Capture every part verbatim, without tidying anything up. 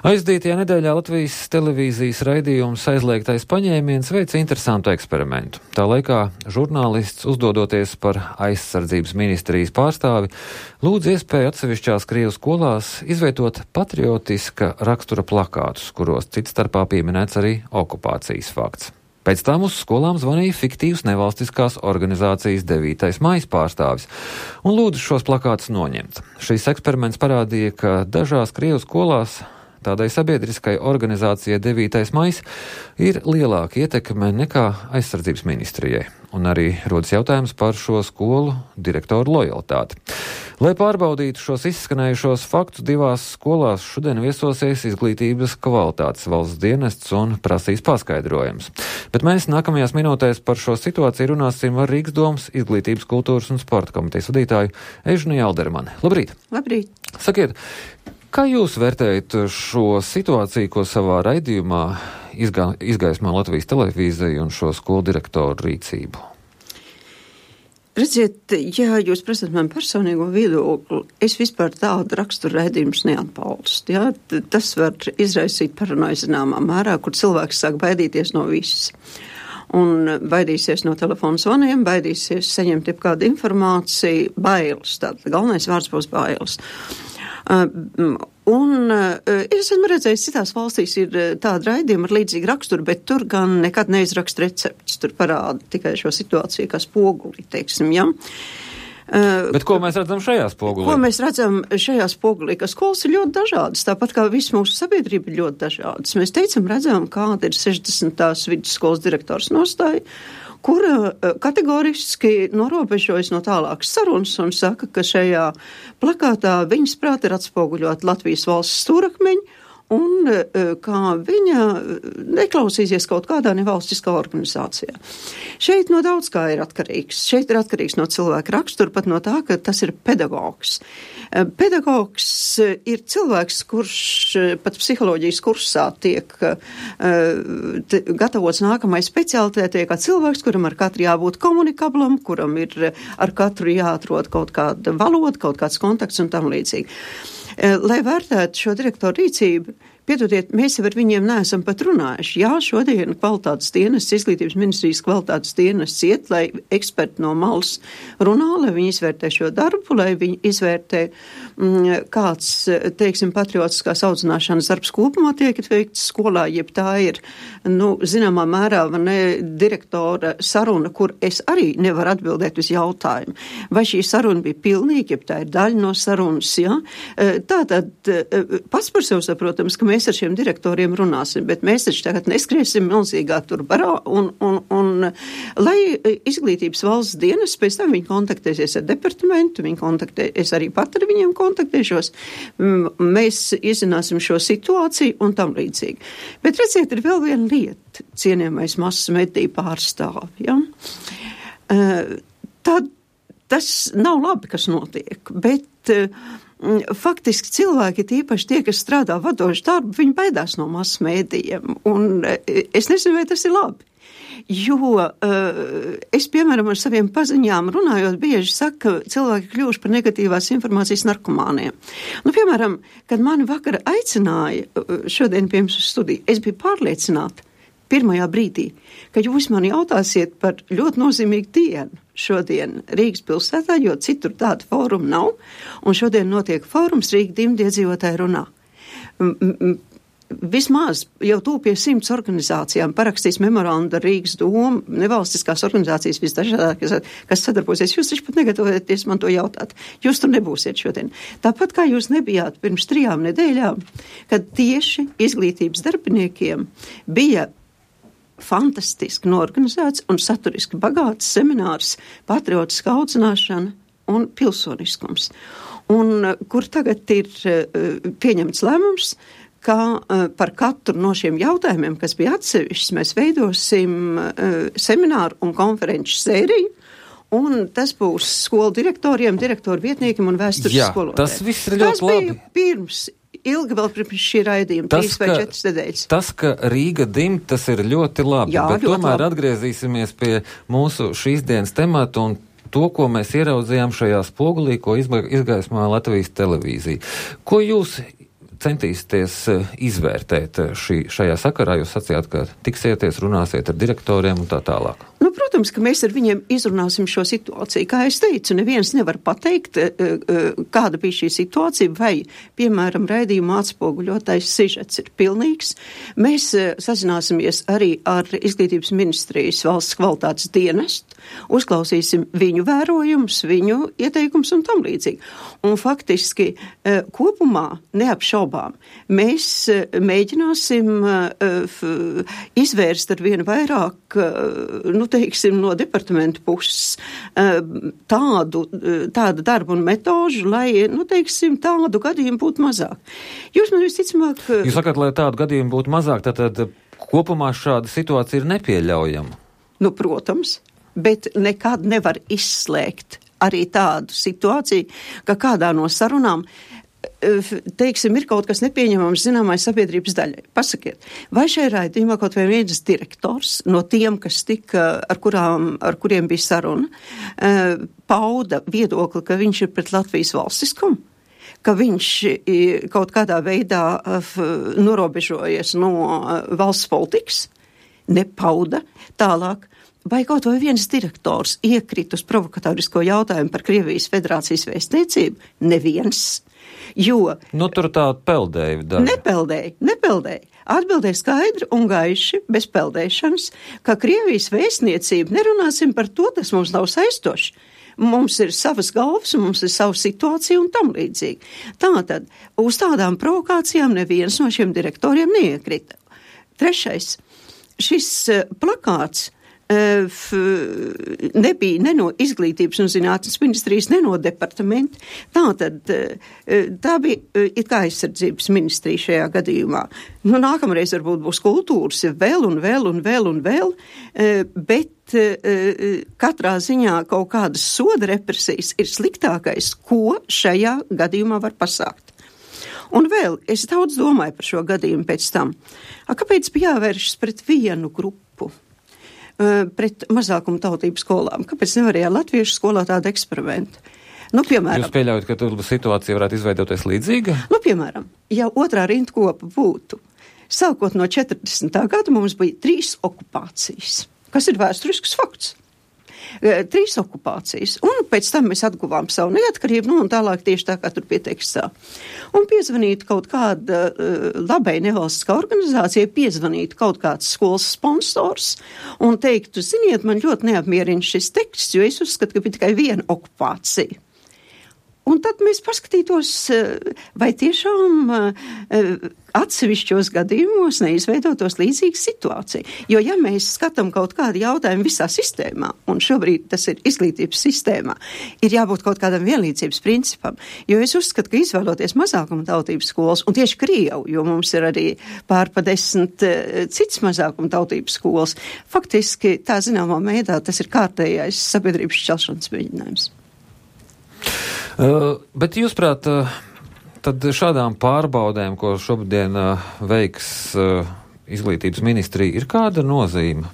Aizdītajā nedēļā Latvijas televīzijas raidījums Aizliegtais paņēmiens veica interesantu eksperimentu. Tā laikā žurnālists, uzdodoties par aizsardzības ministrijas pārstāvi, lūdz iespēju atsevišķās Krievu skolās izveidot patriotiska rakstura plakātus, kuros cits starpā pieminēts arī okupācijas fakts. Pēc tam uz skolām zvanīja fiktīvs nevalstiskās organizācijas devītais maijs pārstāvis un lūdza šos plakātus noņemt. Šīs eksperiments parādīja, ka dažās Krievu skolās tādai sabiedriskai organizācijai devītais maijs ir lielāka ietekme nekā aizsardzības ministrijai. Un arī rodas jautājums par šo skolu direktoru lojalitāti. Lai pārbaudītu šos izskanējušos faktus, divās skolās šodien viesosies izglītības kvalitātes valsts dienests un prasīs paskaidrojums. Bet mēs nākamajās minūtēs par šo situāciju runāsim ar Rīgas domas izglītības, kultūras un sporta komitejas vadītāju Ežnu Jaldermani. Labrīt! Labrīt! Sakiet, kā jūs vērtējat šo situāciju, ko savā raidījumā izgā, izgaismā Latvijas televīzija un šo skolu direktoru rīcību? Redziet, ja jūs prasat man personīgo viedokli, es vispār tādu raksturu raidījumus neatbalstu. Ja? Tas var izraisīt paranoju zināmā mērā, kur cilvēks sāk baidīties no visas. Un baidīsies no telefona zvaniem, baidīsies saņemt jebkādu informāciju, bailes. Tātad galvenais vārds būs bailes. Uh, un uh, es esmu redzējis, citās valstīs ir uh, tāda raidījuma ar līdzīgu raksturu, bet tur gan nekad neizraksta recepts. Tur parāda tikai šo situāciju kā spoguli, teiksim, ja. Uh, bet ko mēs redzam šajā spogulī? Ko mēs redzam šajā spogulī? Ka skolas ir ļoti dažādas, tāpat kā viss mūsu sabiedrība ir ļoti dažādas. Mēs teicam, redzam, kāda ir sešdesmitās vidusskolas direktors nostāja, kura kategoriski norobežojas no tālākas sarunas un saka, ka šajā plakātā viņas prāt ir atspoguļot Latvijas valsts stūrakmeņi un kā viņa neklausīsies kaut kādā nevalstiskā organizācijā. Šeit no daudz kā ir atkarīgs. Šeit ir atkarīgs no cilvēka rakstura, pat no tā, ka tas ir pedagogs. Pedagogs ir cilvēks, kurš pat psiholoģijas kursā tiek te, gatavots nākamai specialitātei, kā cilvēks, kuram ar katru jābūt komunikablam, kuram ir ar katru jāatrod kaut kāda valoda, kaut kāds kontakts un tam līdzīgi. Lai vērtētu šo direktoru rīcību, piedodiet, mēs jau ar viņiem neesam pat runājuši. Jā, šodien kvalitātes dienests, izglītības ministrijas kvalitātes dienests iet, lai eksperti no malas runā, lai viņi izvērtē šo darbu, lai viņi izvērtē, mm, kāds, teiksim, patriotiskās audzināšanas darbs kopumā tiek veikts skolā, jeb tā ir, nu, zināmā mērā, ne direktora saruna, kur es arī nevaru atbildēt uz jautājumu. Vai šī saruna bija pilnīga, jeb tā ir daļa no sarunas, jā? Tātad, pats par sevi saprotams, ka mēs ar šiem direktoriem runāsim, bet mēs taču tagad neskriesim milzīgā tur barā, un, un, un lai izglītības valsts dienas, pēc tam viņi kontaktēsies ar departamentu, viņi kontaktēsies arī pat ar viņiem kontaktēšos, mēs izzināsim šo situāciju un tam līdzīgi. Bet redziet, ir vēl viena lieta, cienījamais masas mediju pārstāvi, ja? Tad tas nav labi, kas notiek, bet faktiski cilvēki, tīpaši tie, kas strādā vadošu darbu, viņi baidās no masu mēdījiem, un es nezinu, vai tas ir labi. Jo uh, es, piemēram, ar saviem paziņām runājot, bieži saku, ka cilvēki kļuvuši par negatīvās informācijas narkomāniem. Nu, piemēram, kad mani vakar aicināja šodien pie jums uz studiju, es biju pārliecināta pirmajā brīdī, ka jūs mani jautāsiet par ļoti nozīmīgu dienu šodien Rīgas pilsētā, jo citur tāda fóruma nav, un šodien notiek fórums Rīga dimdi iedzīvotāji runā. Vismaz jau tūpie simts organizācijām parakstīs memorandu ar Rīgas domu, nevalstiskās organizācijas visdažādākās, kas sadarbosies. Jūs taču pat negatavojaties man to jautāt. Jūs tur nebūsiet šodien. Tāpat kā jūs nebijāt pirms trijām nedēļām, kad tieši izglītības darbiniekiem bija fantastiski norganizēts un saturiski bagāts seminārs patriotiska audzināšana un pilsoniskums. Un kur tagad ir pieņemts lēmums, ka par katru no šiem jautājumiem, kas bija atsevišķs, mēs veidosim semināru un konferenču sēriju, un tas būs skolu direktoriem, direktoru vietniekiem un vēstures skolotājiem. Tas viss ir ļoti labi. Tas bija pirms, ilgi vēl pirms šī raidījuma, tas, trīs vai ka, četras nedēļas. Tas, ka Rīga dim, tas ir ļoti labi, Jā, bet ļoti tomēr labi. Atgriezīsimies pie mūsu šīs dienas temata un to, ko mēs ieraudzījām šajā spogulī, ko izgaismoja Latvijas televīzija. Ko jūs centīsieties izvērtēt šī, šajā sakarā? Jūs sacījāt, ka tiksieties, runāsiet ar direktoriem un tā tālāk. Nu, protams, ka mēs ar viņiem izrunāsim šo situāciju. Kā es teicu, neviens nevar pateikt, kāda bija šī situācija, vai, piemēram, raidījuma atspoguļotais sižets ir pilnīgs. Mēs sazināsimies arī ar Izglītības ministrijas valsts kvalitātes dienestu, uzklausīsim viņu vērojumus, viņu ieteikumus un tam līdzīgi. Un faktiski kopumā neapšaubām mēs mēģināsim izvērst ar vienu vairāk, nu, teiksim, no departamentu puses tādu, tādu darbu un metožu, lai, nu, teiksim, tādu gadījumu būtu mazāk. Jūs man visticamāk... Jūs sakat, lai tādu gadījumu būtu mazāk, tad, tad kopumā šāda situācija ir nepieļaujama? Nu, protams, bet nekad nevar izslēgt arī tādu situāciju, ka kādā no sarunām teiksim, ir kaut kas nepieņemams zināmai sabiedrības daļai. Pasakiet, vai šajā raidījumā kaut vai viens direktors no tiem, kas tika, ar, kurām, ar kuriem bija saruna, pauda viedokli, ka viņš ir pret Latvijas valstiskumu, ka viņš kaut kādā veidā norobežojies no valsts politikas, nepauda tālāk. Vai kaut vai viens direktors iekrīt uz provokatorisko jautājumu par Krievijas Federācijas vēstniecību? Neviens. Jo... Nu, tur tā peldēja daļa. Nepeldēja, nepeldēja. Atbildēja skaidri un gaiši, bez peldēšanas, ka Krievijas vēstniecība, nerunāsim par to, tas mums nav saistoši. Mums ir savas galvas, mums ir sava situācija un tam līdzīgi. Tātad, uz tādām provokācijām neviens no šiem direktoriem neiekrita. Trešais, šis plakāts nebija ne no Izglītības un zinātnes ministrijas, ne no departamenta. Tātad tā bija it kā aizsardzības ministrija šajā gadījumā. Nu, nākamreiz varbūt būs kultūras, vēl un vēl un vēl un vēl, bet katrā ziņā kaut kādas soda represijas ir sliktākais, ko šajā gadījumā var pasākt. Un vēl, es daudz domāju par šo gadījumu pēc tam. A, kāpēc bija jāvēršas pret vienu grupu? Pret mazākumu tautību skolām. Kāpēc nevarēja latviešu skolā tādu eksperimentu? Nu, piemēram. Jūs pieļaujat, ka tur situācija varētu izveidoties līdzīga? Nu, piemēram, ja otrā rindkopa būtu, sākot no četrdesmitā gada mums bija trīs okupācijas, kas ir vēsturisks fakts. Trīs okupācijas, un pēc tam mēs atguvām savu neatkarību, nu un tālāk tieši tā, kā tur pietekstā. Un piezvanītu kaut kāda uh, labai nevalstiskā organizācija, piezvanītu kaut kāds skolas sponsors un teiktu, ziniet, man ļoti neapmierina šis teksts, jo es uzskatu, ka bija tikai viena okupācija. Un tad mēs paskatītos, vai tiešām atsevišķos gadījumos neizveidotos līdzīga situācija. Jo, ja mēs skatām kaut kādu jautājumu visā sistēmā, un šobrīd tas ir izglītības sistēmā, ir jābūt kaut kādam vienlīdzības principam. Jo es uzskatu, ka izvēloties mazākuma tautības skolas, un tieši Krievu, jo mums ir arī pār pa desmit cits mazākuma tautības skolas, faktiski tā zināmā veidā tas ir kārtējais sabiedrības šķelšanas mēģinājums. Uh, bet jūs prāt, uh, tad šādām pārbaudēm, ko šobrīd uh, veiks uh, Izglītības ministrija, ir kāda nozīme?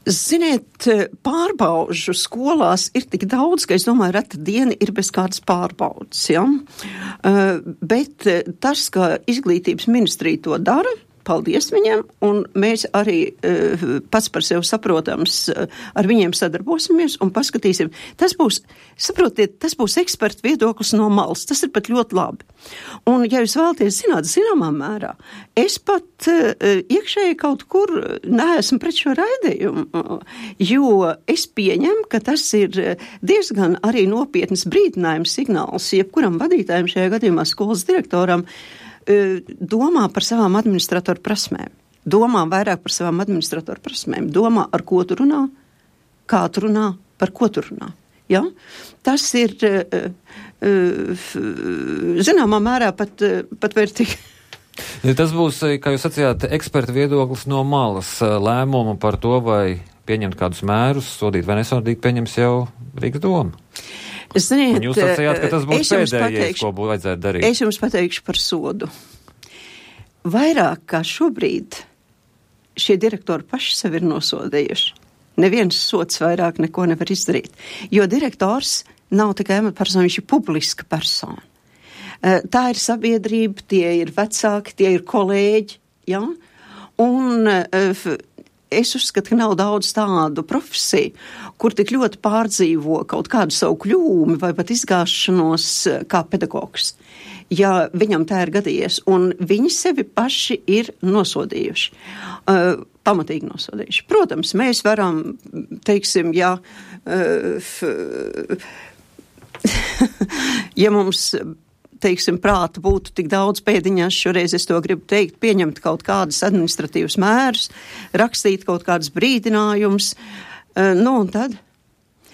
Ziniet, pārbaužu skolās ir tik daudz, ka es domāju, reta diena ir bez kādas pārbaudas, ja? Uh, bet tas, ka Izglītības ministrija to dara, paldies viņiem, un mēs arī uh, pats par sevi saprotams uh, ar viņiem sadarbosimies un paskatīsim. Tas būs, saprotiet, tas būs ekspertu viedoklis no malas, tas ir pat ļoti labi. Un, ja jūs vēlaties zināt, zināmā mērā, es pat uh, iekšēji kaut kur neesmu pret šo raidījumu, uh, jo es pieņemu, ka tas ir diezgan arī nopietnas brīdinājums signāls, jebkuram vadītājiem šajā gadījumā skolas direktoram, domā par savām administratoru prasmēm. Domā vairāk par savām administratoru prasmēm. Domā, ar ko tu runā, kā tu runā, par ko tu runā. Ja? Tas ir, zināmā mērā, pat, pat vērtīgi. Tas būs, kā jūs sacījāt, eksperta viedoklis no malas. Lēmumu par to, vai pieņemt kādus mērus, sodīt vai nesodīt, pieņems jau Rīgas doma. Ziniet, un jūs sacījāt, ka tas būs pēdējais, ko būtu vajadzētu darīt. Es jums pateikšu par sodu. Vairāk kā šobrīd šie direktori paši sevi ir nosodījuši. Neviens sods vairāk neko nevar izdarīt. Jo direktors nav tikai amatpersona, viņš ir publiska persona. Tā ir sabiedrība, tie ir vecāki, tie ir kolēģi, ja? Un es uzskatu, ka nav daudz tādu profesiju, kur tik ļoti pārdzīvo kaut kādu savu kļūmi vai pat izgāšanos kā pedagogs, ja viņam tā ir gadījies, un viņi sevi paši ir nosodījuši, uh, pamatīgi nosodījuši. Protams, mēs varam, teiksim, ja, uh, ja mums, teiksim, prāta būtu tik daudz pēdiņās, šoreiz es to gribu teikt, pieņemt kaut kādas administratīvas mērus, rakstīt kaut kādas brīdinājumus, uh, nu un tad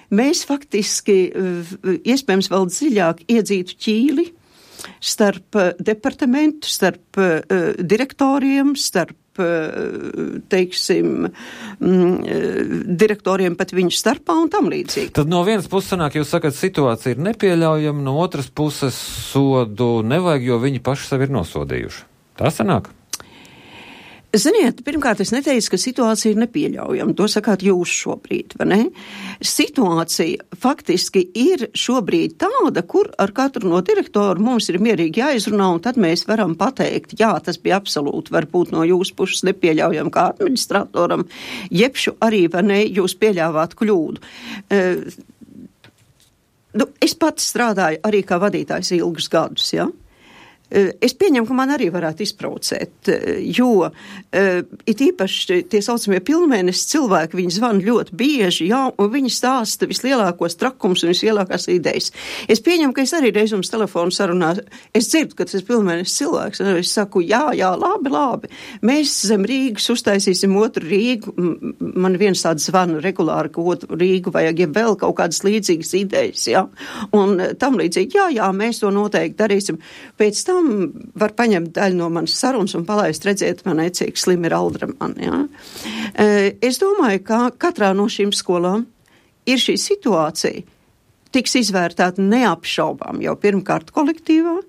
mēs faktiski, uh, iespējams, vēl dziļāk iedzītu ķīli starp departamentu, starp uh, direktoriem, starp, uh, teiksim, mm, direktoriem pat viņu starpā un tam līdzīgi. Tad no vienas puses sanāk, jūs sakat, situācija ir nepieļaujama, no otras puses sodu nevajag, jo viņi paši sevi ir nosodījuši. Tā sanāk? Ziniet, pirmkārt, es neteicu, ka situācija ir nepieļaujama. To sakāt jūs šobrīd, vai ne? Situācija faktiski ir šobrīd tāda, kur ar katru no direktoru mums ir mierīgi jāizrunā, un tad mēs varam pateikt, jā, tas bija absolūti varbūt no jūsu puses nepieļaujama kā administratoram, jebšu arī, vai ne, jūs pieļāvāt kļūdu. Uh, nu, es pats strādāju arī kā vadītājs ilgus gadus, jā? Ja? Es pieņemu, ka man arī varētu izprovocēt, jo it īpaši tie saucamie pilnmēnesis cilvēki, viņi zvana ļoti bieži, jā, un viņi stāsta vislielākos trakums un vislielākās idejas. Es pieņemu, ka es arī reiz jums telefonu sarunā, es dzirdu, ka tas ir pilnmēnesis cilvēks, un es saku, jā, jā, labi, labi, mēs zem Rīgas uztaisīsim otru Rīgu, man viens tāds zvana regulāri, ka otru Rīgu vajag, ja vēl kaut kādas līdzīgas idejas, jā, un tam līdzīgi, jā, jā, mēs to noteikti darīsim. Pēc tam var paņemt daļu no manas sarunas un palaist, redzēt, man cik slim ir Aldra man, jā. Es domāju, ka katrā no šīm skolām ir šī situācija, tiks izvērtēta neapšaubām jau pirmkārt kolektīvā.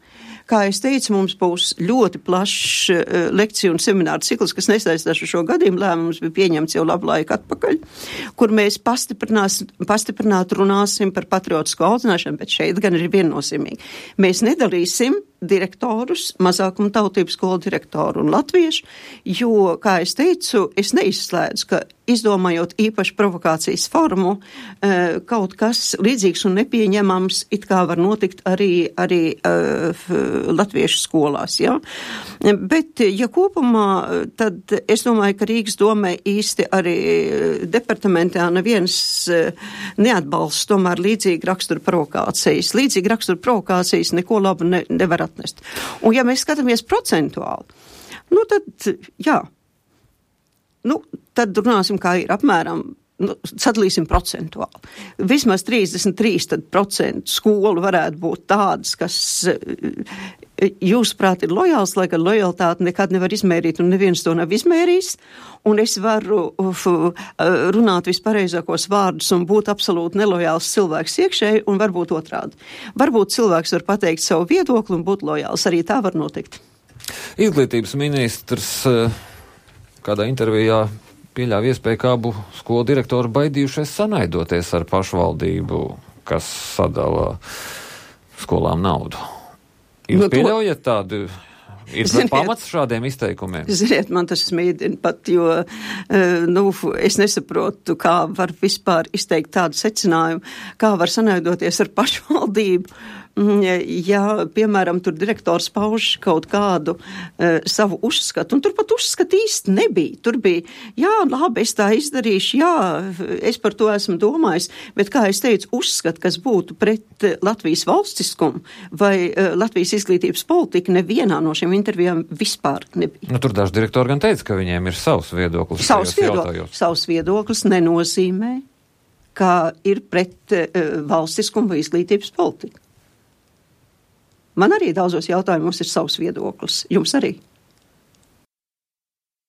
Kā es teicu, mums būs ļoti plašs uh, lekciju un semināru cikls, kas nesaistās ar šo gadījumu. Lēmums bija pieņemts jau labu laiku atpakaļ, kur mēs pastiprināt runāsim par patriotisko audzināšanu, bet šeit gan ir viennozīmīgi. Mēs nedalīsim direktorus, mazākuma tautību skolu direktoru un latviešu, jo, kā es teicu, es neizslēdzu, ka izdomājot īpaši provokācijas formu, uh, kaut kas līdzīgs un nepieņemams it kā var notikt arī, arī uh, latviešu skolās, jā. Bet, ja kopumā, tad es domāju, ka Rīgas domē īsti arī departamentā neviens neatbalsta tomēr līdzīgi rakstura provokācijas. Līdzīgi rakstura provokācijas neko labu ne, nevar atnest. Un ja mēs skatāmies procentuāli, nu tad, jā, nu, tad runāsim, kā ir apmēram, nu, sadalīsim procentuāli. Vismaz trīsdesmit trīs procentu skolu varētu būt tādas, kas jūsuprāt ir lojāls, lai gan lojalitāti nekad nevar izmērīt un neviens to nav izmērījis. Un es varu uf, runāt vispareizākos vārdus un būt absolūti nelojāls cilvēks iekšēji un varbūt otrādi. Varbūt cilvēks var pateikt savu viedokli un būt lojāls. Arī tā var notikt. Izglītības ministrs kādā intervijā pieļāva iespēju, ka abu skolu direktori baidījušies sanaidoties ar pašvaldību, kas sadala skolām naudu. Jūs no pieļaujat tādu, ir ziniet, pamats šādiem izteikumiem? Ziniet, man tas smīdina pat, jo nu, es nesaprotu, kā var vispār izteikt tādu secinājumu, kā var sanaidoties ar pašvaldību. Ja, piemēram, tur direktors pauž kaut kādu uh, savu uzskatu, un tur pat uzskatu īsti nebija. Tur bija, jā, labi, es tā izdarīšu, jā, es par to esmu domājis, bet, kā es teicu, uzskatu, kas būtu pret Latvijas valstiskumu vai uh, Latvijas izglītības politika, nevienā no šiem intervijām vispār nebija. Nu, tur daži direktori gan teica, ka viņiem ir savs viedoklis. Savs viedoklis, savs viedoklis nenozīmē, ka ir pret uh, valstiskumu vai izglītības politika. Man arī daudzos jautājumos ir savs viedoklis. Jums arī?